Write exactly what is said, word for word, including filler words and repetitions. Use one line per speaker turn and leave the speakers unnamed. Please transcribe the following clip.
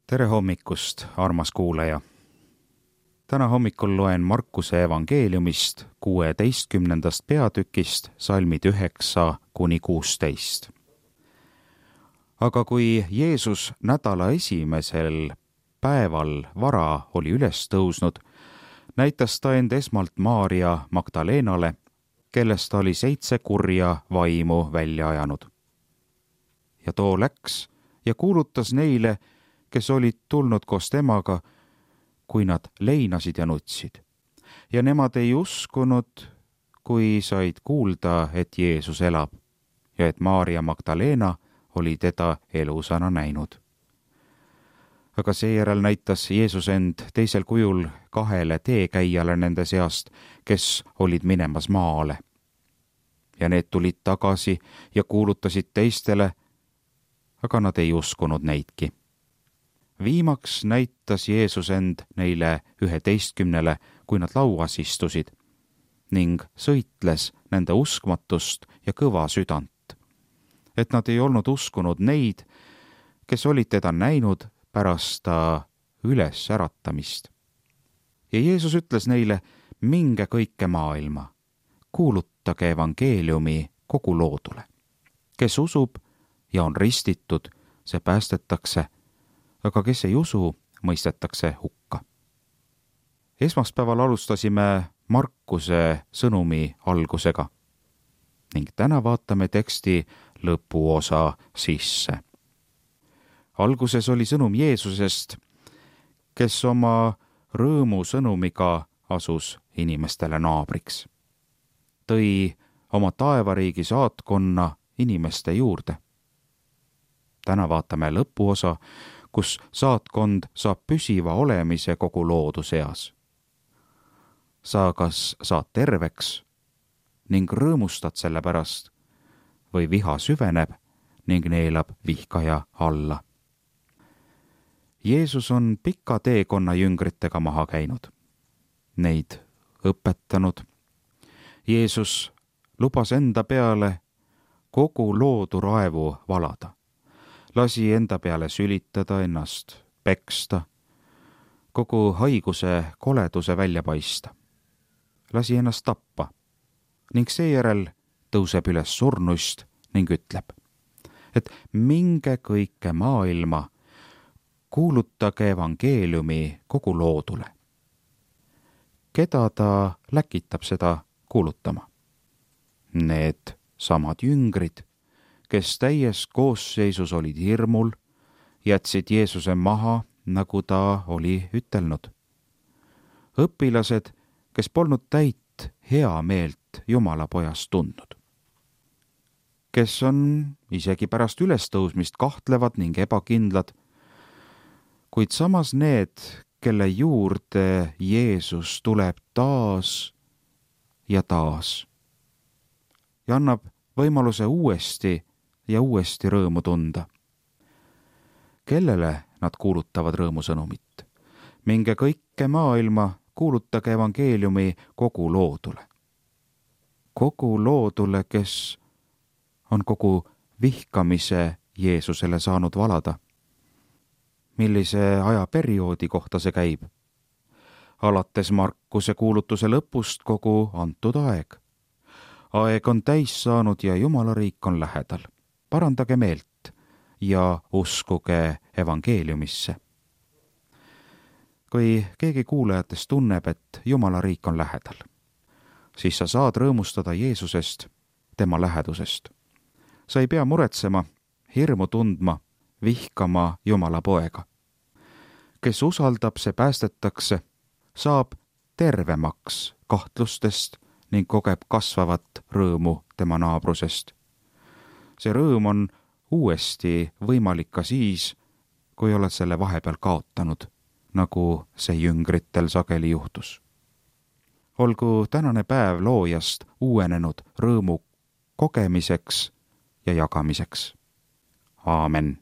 tere hommikust, armas kuulaja! Täna hommikul loen Markuse evangeeliumist kuueteistkümnendast peatükist salmid üheksa kuni kuusteist. Aga kui Jeesus nädala esimesel päeval vara oli üles tõusnud, näitas ta end esmalt Maarja Magdaleenale, kellest ta oli seitse kurja vaimu välja ajanud. Ja too läks ja kuulutas neile, kes olid tulnud koos temaga, kui nad leinasid ja nutsid. Ja nemad ei uskunud, kui said kuulda, et Jeesus elab ja et Maarja Magdaleena oli teda elusana näinud. Aga seejärel näitas Jeesus end teisel kujul kahele teekäijale nende seast, kes olid minemas maale. Ja need tulid tagasi ja kuulutasid teistele, aga nad ei uskunud neidki. Viimaks näitas Jeesus end neile üheteistkümnele, kui nad lauas istusid, ning sõitles nende uskmatust ja kõva südant, et nad ei olnud uskunud neid, kes olid teda näinud pärast ta üles äratamist. Ja Jeesus ütles neile, minge kõike maailma, kuulutage evangeeliumi kogu loodule. Kes usub ja on ristitud, see päästetakse, aga kes ei usu, mõistetakse hukka. Esmaspäeval alustasime Markuse sõnumi algusega ning täna vaatame teksti lõpuosa sisse. Alguses oli sõnum Jeesusest, kes oma rõõmu sõnumiga asus inimestele naabriks. Tõi oma taevariigi saatkonna inimeste juurde. Täna vaatame lõpuosa, kus saatkond saab püsiva olemise kogu loodu seas. Sa kas saad terveks ning rõõmustad selle pärast või viha süveneb ning neelab vihkaja alla. Jeesus on pika teekonna jüngritega maha käinud, neid õpetanud. Jeesus lubas enda peale kogu loodu raevu valada. Lasi enda peale sülitada, ennast peksta, kogu haiguse koleduse välja paista. Lasi ennast tappa ning seejärel tõuseb üles surnust ning ütleb, et minge kõike maailma, kuulutage evangeeliumi kogu loodule. Keda ta läkitab seda kuulutama? Need samad jüngrid, kes täies koosseisus olid hirmul, jätsid Jeesuse maha, nagu ta oli ütelnud. Õpilased, kes polnud täit hea meelt Jumala pojast tundnud. Kes on isegi pärast ülestõusmist kahtlevad ning ebakindlad, kuid samas need, kelle juurde Jeesus tuleb taas ja taas ja annab võimaluse uuesti ja uuesti rõõmu tunda. Kellele nad kuulutavad rõõmusõnumit? Minge kõike maailma, kuulutage evangeeliumi kogu loodule. Kogu loodule, kes on kogu vihkamise Jeesusele saanud valada. Millise ajaperioodi kohta see käib? Alates Markuse kuulutuse lõpust kogu antud aeg. Aeg on täis saanud ja Jumala riik on lähedal. Parandage meelt ja uskuge evangeeliumisse. Kui keegi kuulajatest tunneb, et Jumala riik on lähedal, siis sa saad rõõmustada Jeesusest, tema lähedusest. Sa ei pea muretsema, hirmu tundma, vihkama Jumala poega. Kes usaldab, see päästetakse, saab tervemaks kahtlustest ning kogeb kasvavat rõõmu tema naabrusest. See rõõm on uuesti võimalik ka siis, kui oled selle vahepeal kaotanud, nagu see jüngritel sageli juhtus. Olgu tänane päev loojast uuenenud rõõmu kogemiseks ja jagamiseks. Aamen.